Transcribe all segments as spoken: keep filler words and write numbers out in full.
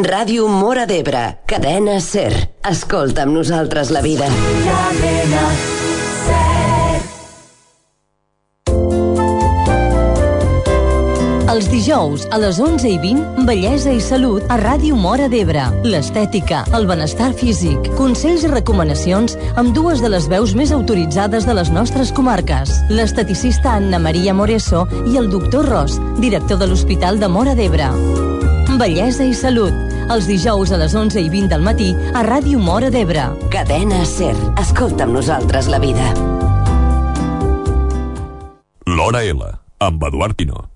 Ràdio Móra d'Ebre, cadena SER. Escolta amb nosaltres la vida. Cadena SER. Els dijous, a les onze i vint, Bellesa i Salut a Ràdio Móra d'Ebre. L'estètica, el benestar físic, consells i recomanacions amb dues de les veus més autoritzades de les nostres comarques. L'esteticista Anna Maria Moreso i el doctor Ros, director de l'Hospital de Móra d'Ebre. Bellesa i Salut, els dijous a les onze i vint del matí a Ràdio Móra d'Ebre. Cadena SER. Escolta amb nosaltres la vida. L'Hora L, amb Eduard Pino.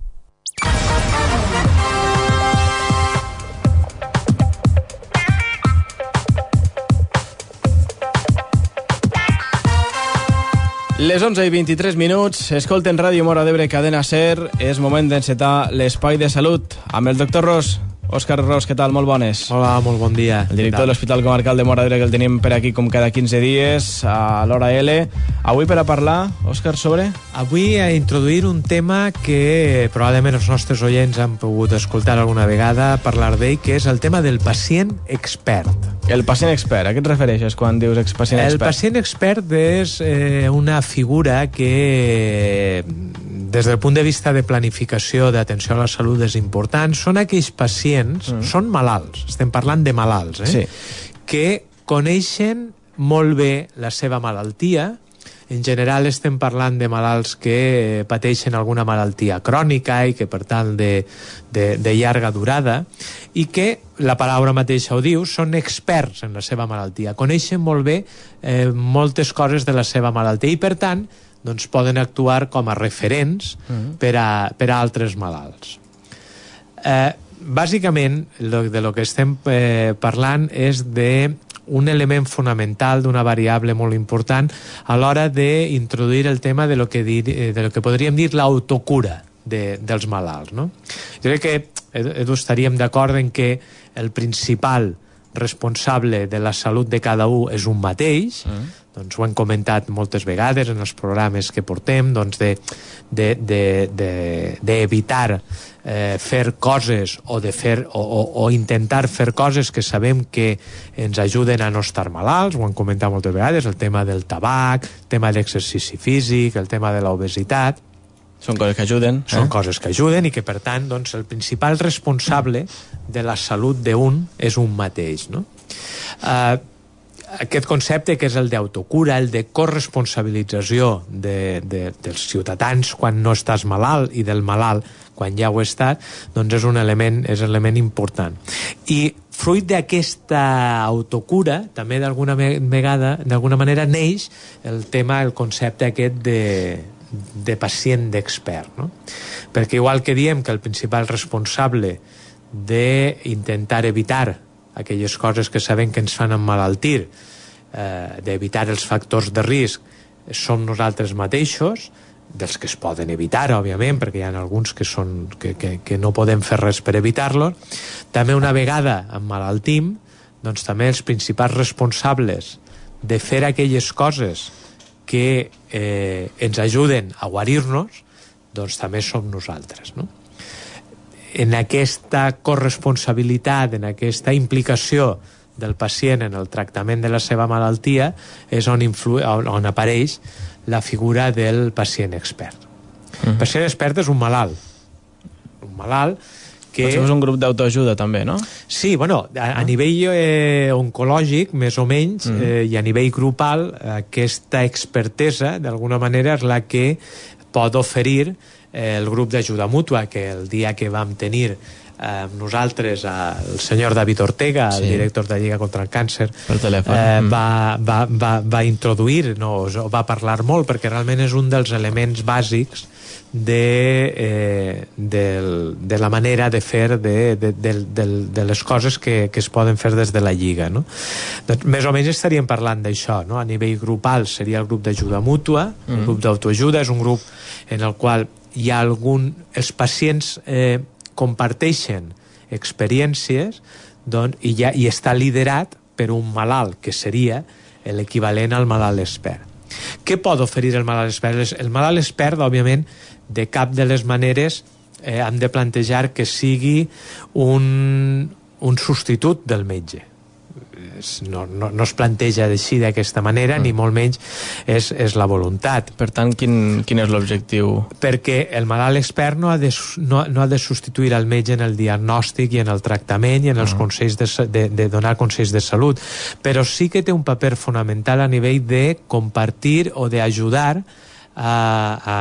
Les onze i vint-i-tres minuts, escolten Ràdio Móra d'Ebre, cadena SER. És moment d'encetar l'espai de salut amb el doctor Ros. Òscar Ros, què tal? Molt bones. Hola, molt bon dia. El director de l'Hospital Comarcal de Móra d'Ebre, que el tenim per aquí com cada quinze dies a l'Hora L. Avui per a parlar, Òscar, sobre? Avui a introduir un tema que probablement els nostres oients han pogut escoltar alguna vegada parlar d'ell, que és el tema del pacient expert. El pacient expert, a què et refereixes quan dius pacient expert? El pacient expert és eh, una figura que, des del punt de vista de planificació d'atenció a la salut, és important. Són aquells pacients, mm. són malalts, estem parlant de malalts, eh? Sí. Que coneixen molt bé la seva malaltia. En general estem parlant de malalts que pateixen alguna malaltia crònica i que per tant de, de, de llarga durada, i que, la paraula mateixa ho diu, són experts en la seva malaltia, coneixen molt bé eh, moltes coses de la seva malaltia i per tant doncs, poden actuar com a referents mm. per, a, per a altres malalts. Eh, bàsicament, lo, de lo que estem eh, parlant és de un element fonamental, d'una variable molt important a l'hora d'introduir el tema de lo que, dir, de lo que podríem dir l'autocura de, dels malalts, no? Jo crec que, Edu, estaríem d'acord en que el principal responsable de la salut de cada un és un mateix, mm. doncs ho hem comentat moltes vegades en els programes que portem, doncs de, de, de, de, d'evitar eh, fer coses o, de fer, o, o, o intentar fer coses que sabem que ens ajuden a no estar malalts, ho hem comentat moltes vegades, el tema del tabac, el tema de l'exercici físic, el tema de l'obesitat. Són coses que ajuden. Eh? Són coses que ajuden i que, per tant, doncs, el principal responsable de la salut d'un és un mateix, no? Uh, aquest concepte que és el d'autocura, el de corresponsabilització de, de, dels ciutadans quan no estàs malalt i del malalt quan ja ho he estat, doncs és un element, és un element important. I fruit d'aquesta autocura, també d'alguna vegada, d'alguna manera, neix el tema, el concepte aquest de de pacient d'expert, no? Perquè igual que diem que el principal responsable d'intentar evitar aquelles coses que sabem que ens fan emmalaltir, eh, d'evitar els factors de risc, som nosaltres mateixos, dels que es poden evitar, òbviament, perquè hi ha alguns que, són, que, que, que no podem fer res per evitar-los. També una vegada emmalaltim, doncs també els principals responsables de fer aquelles coses que eh, ens ajuden a guarir-nos, doncs també som nosaltres, no? En aquesta corresponsabilitat, en aquesta implicació del pacient en el tractament de la seva malaltia, és on, influ... on, on apareix la figura del pacient expert. Mm. El pacient expert és un malalt. Un malalt que... Potser és un grup d'autoajuda també, no? Sí, bueno, a, a nivell eh, oncològic, més o menys, mm. eh, i a nivell grupal, aquesta expertesa, d'alguna manera, és la que pot oferir eh, el grup d'ajuda mútua, que el dia que vam tenir eh, nosaltres el senyor David Ortega, sí. el director de Lliga contra el Càncer, per telèfon. Eh, mm. va, va, va, va introduir, no, va parlar molt, perquè realment és un dels elements bàsics de, eh, de, de la manera de fer de, de, de, de, de les coses que, que es poden fer des de la Lliga, no? Doncs, més o menys estaríem parlant d'això, no? A nivell grupal seria el grup d'ajuda mútua, mm. el grup d'autoajuda és un grup en el qual hi ha algun... els pacients eh, comparteixen experiències, doncs, i, ja, i està liderat per un malalt, que seria l'equivalent al malalt expert. Què pot oferir el malalt expert? El malalt expert, òbviament, de cap de les maneres eh, hem de plantejar que sigui un, un substitut del metge. No, no, no es planteja així d'aquesta manera, mm. ni molt menys és, és la voluntat. Per tant, quin, quin és l'objectiu? Perquè el malalt expert no ha, de, no, no ha de substituir el metge en el diagnòstic i en el tractament i en els mm. consells de, de, de donar consells de salut, però sí que té un paper fonamental a nivell de compartir o d'ajudar a, a,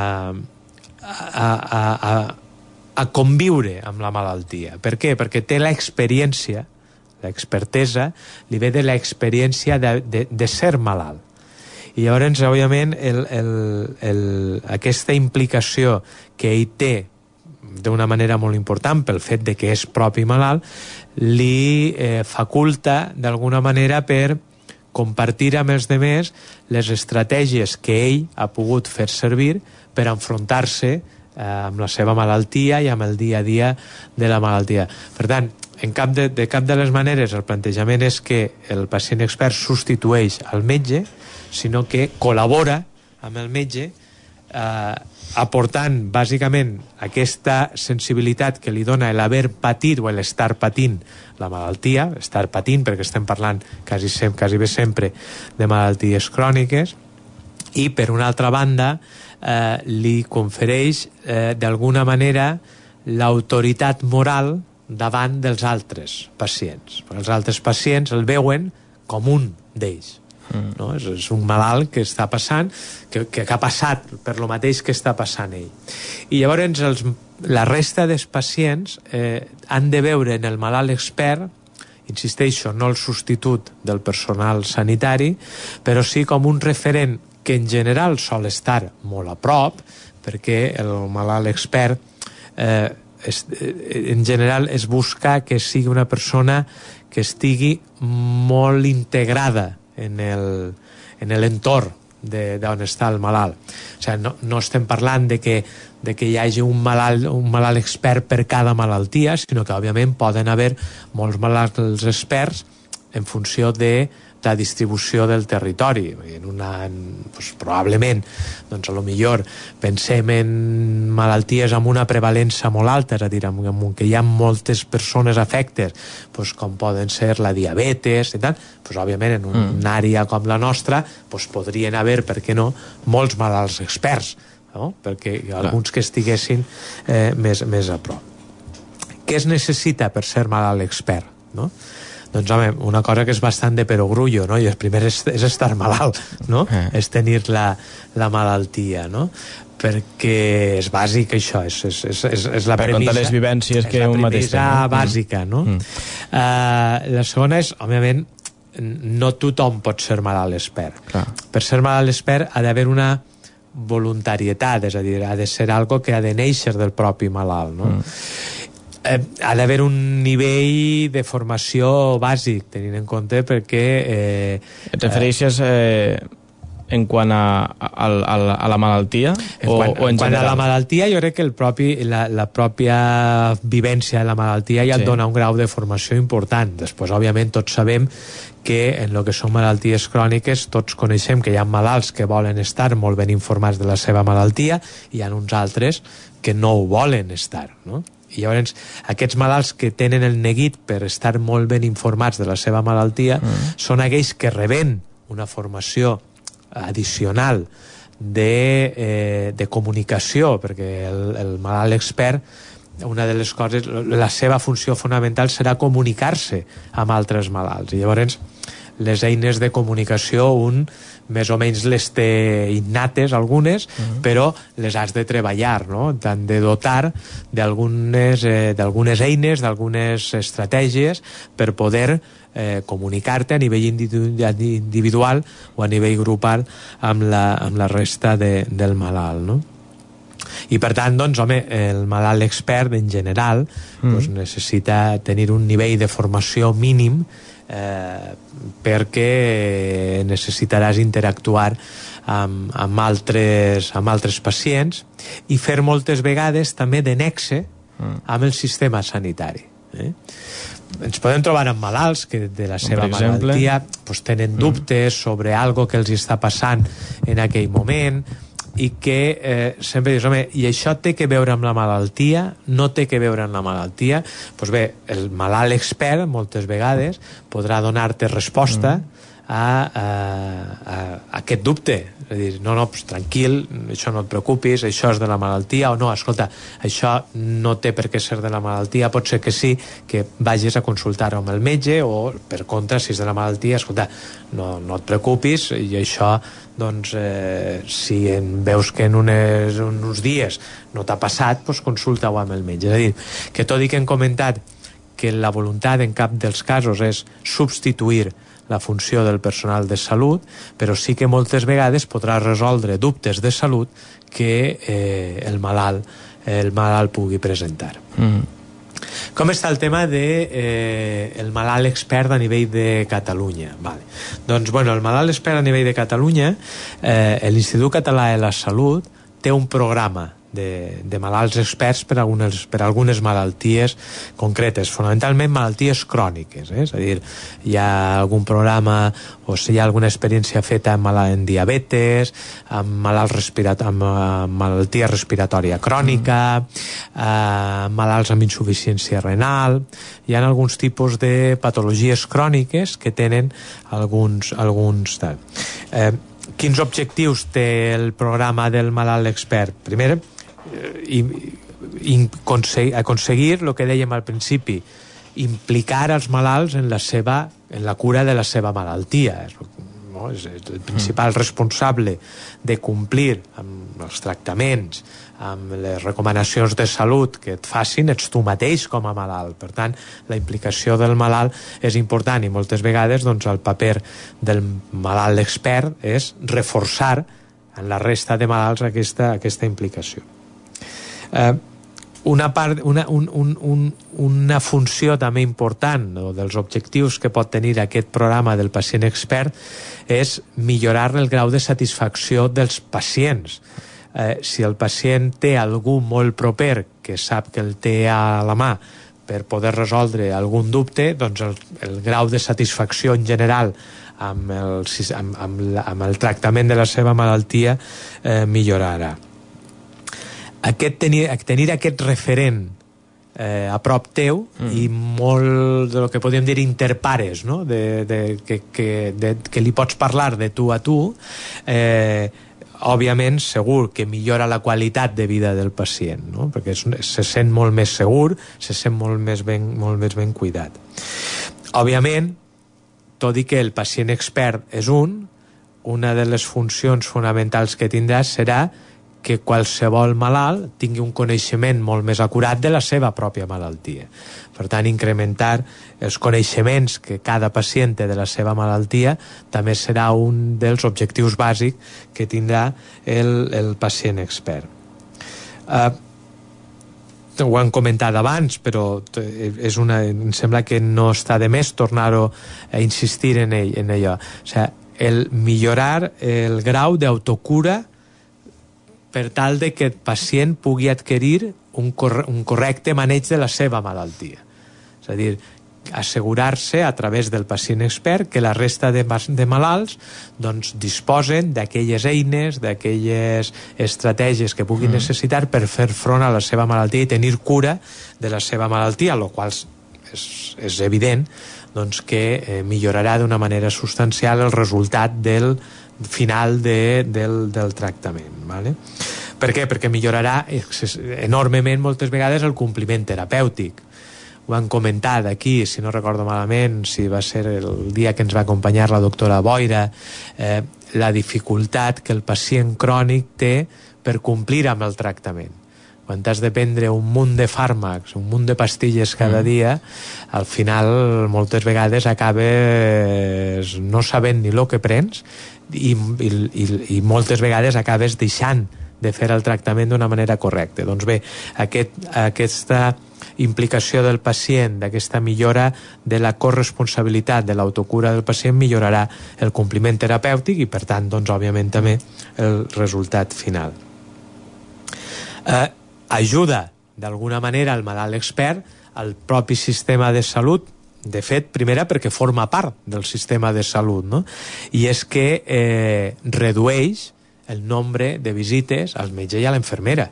a, a, a, a conviure amb la malaltia. Per què? Perquè té l'experiència, l'expertesa li ve de l'experiència de, de, de ser malalt. I llavors, òbviament, el, el, el, aquesta implicació que ell té d'una manera molt important pel fet de que és propi malalt, li eh, faculta d'alguna manera per compartir amb els demés les estratègies que ell ha pogut fer servir per enfrontar-se eh, amb la seva malaltia i amb el dia a dia de la malaltia. Per tant, En cap de, de cap de les maneres el plantejament és que el pacient expert substitueix al metge, sinó que col·labora amb el metge eh, aportant bàsicament aquesta sensibilitat que li dona l'haver patit o l'estar patint la malaltia, estar patint perquè estem parlant quasi, sem quasi bé sempre de malalties cròniques, i per una altra banda eh, li confereix eh, d'alguna manera l'autoritat moral davant dels altres pacients. Perquè els altres pacients el veuen com un d'ells. Mm. No? És, és un malalt que està passant, que, que ha passat per lo mateix que està passant ell. I llavors els, la resta dels pacients eh, han de veure en el malalt expert, insisteixo, no el substitut del personal sanitari, però sí com un referent que en general sol estar molt a prop, perquè el malalt expert eh, Es, en general es busca que sigui una persona que estigui molt integrada en el, en l'entorn d'on està el malalt. O sigui, no, no estem parlant de que, de que hi hagi un malalt, un malalt expert per cada malaltia, sinó que òbviament poden haver molts malalts experts en funció de la distribució del territori. En una, en, doncs, probablement, doncs, a lo millor pensem en malalties amb una prevalença molt alta, és a dir, en, en què hi ha moltes persones afectes, doncs, com poden ser la diabetes i tal, doncs, òbviament en un, mm. una àrea com la nostra doncs, podrien haver, per què no, molts malalts experts, no? Perquè hi ha alguns que estiguessin eh, més, més a prop. Què es necessita per ser malalt expert? No? Doncs, home, una cosa que és bastant de perogrullo, no? I el primer és, és estar malalt, no? Eh. És tenir la, la malaltia, no? Perquè és bàsic això, és, és, és, és, és la per premissa... contar les vivències que un mateix té. És la premissa bàsica, no? Mm. Uh, la segona és, òbviament, no tothom pot ser malalt expert. Clar. Per ser malalt expert ha d'haver una voluntarietat, és a dir, ha de ser algo que ha de néixer del propi malalt, no? Mm. Eh, ha d'haver un nivell de formació bàsic, tenint en compte perquè... Eh, Et refereixes eh, en quant a, a, a, a la malaltia? En o, quant, o en, en quant a la malaltia, jo crec que el propi, la, la pròpia vivència de la malaltia ja et sí. dona un grau de formació important. Després, òbviament, tots sabem que en el que són malalties cròniques tots coneixem que hi ha malalts que volen estar molt ben informats de la seva malaltia i hi ha uns altres que no ho volen estar, no? I llavors aquests malalts que tenen el neguit per estar molt ben informats de la seva malaltia mm. són aquells que reben una formació addicional de, eh, de comunicació, perquè el, el malalt expert, una de les coses, la seva funció fonamental serà comunicar-se amb altres malalts. I llavors les eines de comunicació un més o menys les té innates algunes, uh-huh. però les has de treballar, no? T'han de dotar d'algunes eh, d'algunes eines, d'algunes estratègies per poder eh, comunicar-te a nivell individual o a nivell grupal amb la, amb la resta de, del malalt, no? I per tant, doncs, home, el malalt expert en general mm. doncs, necessita tenir un nivell de formació mínim eh, perquè necessitaràs interactuar amb, amb, altres, amb altres pacients i fer moltes vegades també de nexe mm. amb el sistema sanitari. Eh? Ens podem trobar amb malalts que de la seva malaltia pues, tenen dubtes mm. sobre algo que els està passant en aquell moment, i que eh, sempre dius, home, i això té que veure amb la malaltia? No té que veure amb la malaltia? Doncs bé, el malalt expert moltes vegades podrà donar-te resposta mm. a, a, a, a aquest dubte. És a dir, no, no, pues, tranquil, això no et preocupis, això és de la malaltia, o no, escolta, això no té per què ser de la malaltia, pot ser que sí, que vagis a consultar amb el metge, o per contra, si és de la malaltia, escolta, no, no et preocupis, i això, doncs, eh, si en veus que en unes, uns dies no t'ha passat, doncs consulta-ho amb el metge. És a dir, que tot i que hem comentat que la voluntat en cap dels casos és substituir la funció del personal de salut, però sí que moltes vegades podrà resoldre dubtes de salut que eh, el malalt el malalt pugui presentar. Mm. Com està el tema de eh, el malalt expert a nivell de Catalunya? Vale. Doncs, bueno, el malalt expert a nivell de Catalunya, eh, l'Institut Català de la Salut té un programa de, de malalts experts per algunes, per algunes malalties concretes, fonamentalment malalties cròniques, eh? És a dir, hi ha algun programa o si hi ha alguna experiència feta amb, en diabetes, amb, malalts respirat amb uh, malaltia respiratòria crònica, uh, malalts amb insuficiència renal. Hi ha alguns tipus de patologies cròniques que tenen alguns... alguns eh, quins objectius té el programa del malalt expert? Primer, i, i aconseguir el que dèiem al principi, implicar els malalts en la seva, en la cura de la seva malaltia. No? És el principal responsable de complir amb els tractaments, amb les recomanacions de salut que et facin, ets tu mateix com a malalt. Per tant, la implicació del malalt és important i moltes vegades doncs, el paper del malalt expert és reforçar en la resta de malalts aquesta, aquesta implicació. Eh, una, part, una, un, un, un, una funció també important, no, dels objectius que pot tenir aquest programa del pacient expert és millorar el grau de satisfacció dels pacients. Eh, si el pacient té algú molt proper que sap que el té a la mà per poder resoldre algun dubte, doncs el, el grau de satisfacció en general amb el, amb, amb, la, amb el tractament de la seva malaltia eh, millorarà. Aquest tenir, tenir aquest referent eh, a prop teu mm. i molt de lo que podríem dir interpares, no? de, de, que, que, de, que li pots parlar de tu a tu, eh, òbviament segur que millora la qualitat de vida del pacient, no? Perquè és, se sent molt més segur, se sent molt més ben, molt més ben cuidat. Òbviament, tot i que el pacient expert és un, una de les funcions fonamentals que tindrà serà que qualsevol malalt tingui un coneixement molt més acurat de la seva pròpia malaltia. Per tant, incrementar els coneixements que cada pacient té de la seva malaltia també serà un dels objectius bàsics que tindrà el, el pacient expert. Uh, ho han comentat abans, però és una, em sembla que no està de més tornar-ho a insistir en, ell, en allò. O sigui, el millorar el grau d'autocura per tal de que el pacient pugui adquirir un, corre un correcte maneig de la seva malaltia. És a dir, assegurar-se a través del pacient expert que la resta de, de malalts doncs, disposen d'aquelles eines, d'aquelles estratègies que puguin mm. necessitar per fer front a la seva malaltia i tenir cura de la seva malaltia, el qual és, és evident doncs, que eh, millorarà d'una manera substancial el resultat del final de, del, del tractament. ¿Vale? Per què? Perquè millorarà enormement moltes vegades el compliment terapèutic. Ho han comentat aquí, si no recordo malament, si va ser el dia que ens va acompanyar la doctora Boira, eh, la dificultat que el pacient crònic té per complir amb el tractament. Quan has de prendre un munt de fàrmacs, un munt de pastilles cada mm. dia, al final moltes vegades acabes no sabent ni el que prens i, i, i, i moltes vegades acabes deixant de fer el tractament d'una manera correcta. Doncs bé, aquest, aquesta implicació del pacient, d'aquesta millora de la corresponsabilitat de l'autocura del pacient millorarà el compliment terapèutic i per tant, doncs, òbviament també el resultat final. Eh, ajuda d'alguna manera el malalt expert al propi sistema de salut, de fet, primera perquè forma part del sistema de salut, no? I és que eh, redueix el nombre de visites al metge i a l'infermera,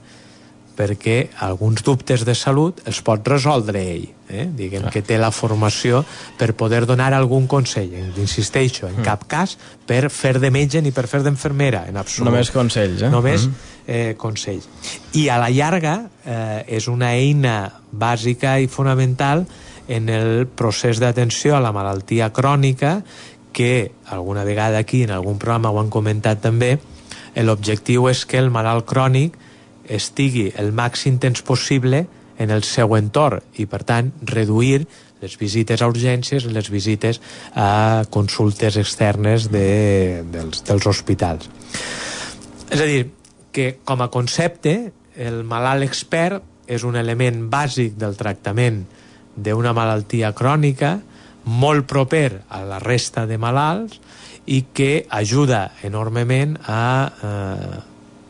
perquè alguns dubtes de salut els pot resoldre ell, eh? Diguem que té la formació per poder donar algun consell. Insisteixo, en cap cas per fer de metge ni per fer d'infermera, en absolut. Només consells, eh? Només eh, consells. I a la llarga eh, és una eina bàsica i fonamental en el procés d'atenció a la malaltia crònica, que alguna vegada aquí en algun programa ho han comentat també. L'objectiu és que el malalt crònic estigui el màxim temps possible en el seu entorn i, per tant, reduir les visites a urgències i les visites a consultes externes de, dels, dels hospitals. És a dir, que com a concepte el malalt expert és un element bàsic del tractament d'una malaltia crònica, molt proper a la resta de malalts i que ajuda enormement a, eh,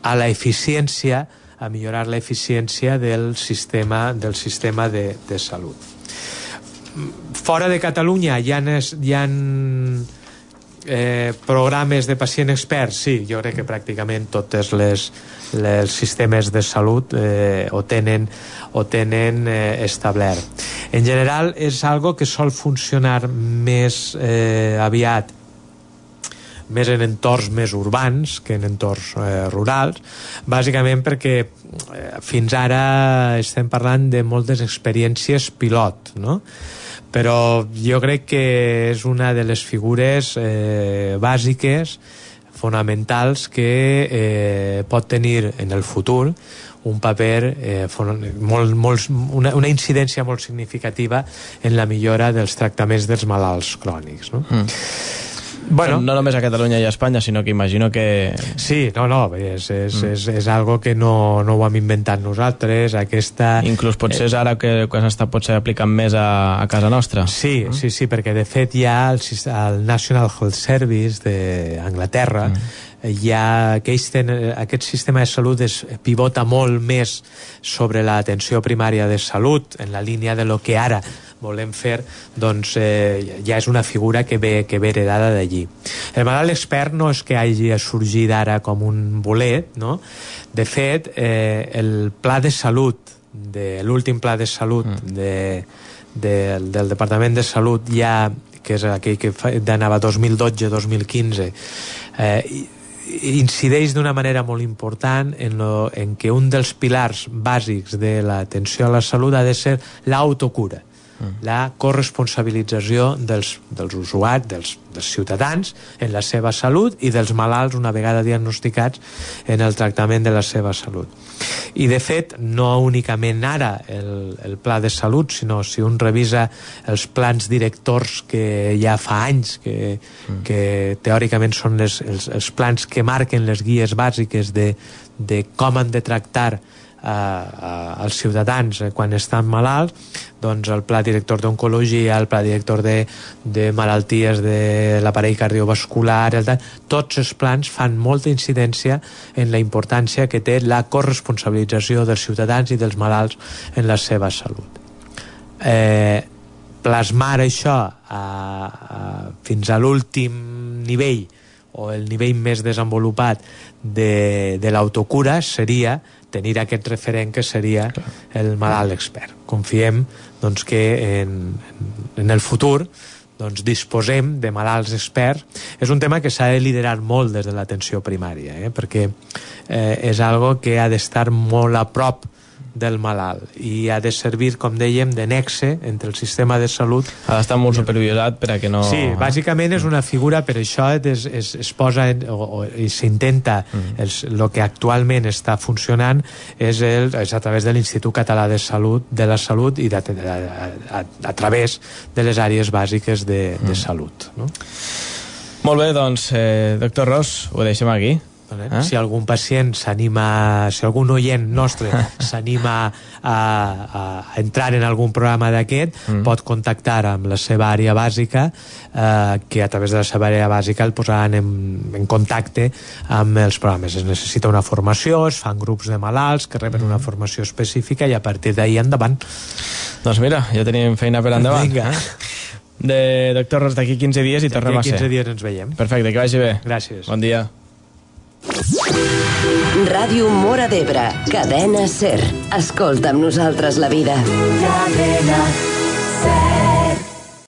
a la eficiència, a millorar l'eficiència del sistema, del sistema de, de salut. Fora de Catalunya hi ha, hi ha eh, programes de pacient expert? Sí, jo crec que pràcticament tots les, els sistemes de salut eh, ho tenen, ho tenen eh, establert. En general és algo que sol funcionar més eh, aviat més en entorns més urbans que en entorns eh, rurals, bàsicament perquè eh, fins ara estem parlant de moltes experiències pilot, no? Però jo crec que és una de les figures eh, bàsiques, fonamentals, que eh, pot tenir en el futur un paper, eh, molt, molt, una, una incidència molt significativa en la millora dels tractaments dels malalts crònics, no? Mm. Bueno, no només a Catalunya i a Espanya, sinó que imagino que... Sí, no, no, és, és, mm. és, és algo que no, no ho hem inventat nosaltres, aquesta... Inclús potser és ara que, que s'està potser aplicant més a, a casa nostra. Sí, mm. sí, sí, perquè de fet hi ha el, el National Health Service d'Anglaterra, mm. hi ha aquells ten, aquest sistema de salut es pivota molt més sobre l'atenció primària de salut, en la línia de lo que ara volem fer, doncs eh, ja és una figura que ve, que ve heredada d'allí. El malalt expert no és que hagi sorgit ara com un bolet, no? De fet, eh, el pla de salut, de l'últim pla de salut mm. de, de, del Departament de Salut, ja, que és aquell que anava dos mil dotze dos mil quinze, eh, incideix d'una manera molt important en, lo, en que un dels pilars bàsics de l'atenció a la salut ha de ser l'autocura, la corresponsabilització dels, dels usuaris, dels, dels ciutadans en la seva salut i dels malalts una vegada diagnosticats en el tractament de la seva salut. I de fet, no únicament ara el, el pla de salut, sinó si un revisa els plans directors que ja fa anys, que, mm. que teòricament són les, els, els plans que marquen les guies bàsiques de, de com han de tractar als ciutadans quan estan malalts, doncs el pla director d'oncologia, el pla director de, de malalties de l'aparell cardiovascular, el, tots els plans fan molta incidència en la importància que té la corresponsabilització dels ciutadans i dels malalts en la seva salut. Eh, plasmar això a, a, fins a l'últim nivell o el nivell més desenvolupat de, de l'autocura seria tenir aquest referent que seria el malalt expert. Confiem doncs, que en, en el futur doncs, disposem de malalts experts. És un tema que s'ha de liderar molt des de l'atenció primària, eh? perquè eh, és algo que ha d'estar molt a prop del malalt i ha de servir, com dèiem, de nexe entre el sistema de salut. Ha d'estar molt supervisat per a que no... Sí, bàsicament és una figura, per això es, es, es posa en, o, o s'intenta mm. el que actualment està funcionant és, el, és a través de l'Institut Català de Salut de la Salut i de, a, a, a través de les àrees bàsiques de, mm. de salut, no? Molt bé, doncs, eh, doctor Ros, ho deixem aquí. Eh? Si algun pacient s'anima, si algun oient nostre s'anima a, a entrar en algun programa d'aquest, mm. pot contactar amb la seva àrea bàsica, eh, que a través de la seva àrea bàsica el posaran en, en contacte amb els programes. Es necessita una formació, es fan grups de malalts que reben mm. una formació específica i a partir d'ahir endavant. Doncs mira, ja tenim feina per endavant. Vinga. De doctor Ros, d'aquí quinze dies i tornem a ser. D'aquí quinze dies ens veiem. Perfecte, que vagi bé. Gràcies. Bon dia. Ràdio Móra d'Ebre, cadena SER. Escolta amb nosaltres la vida. Cadena SER.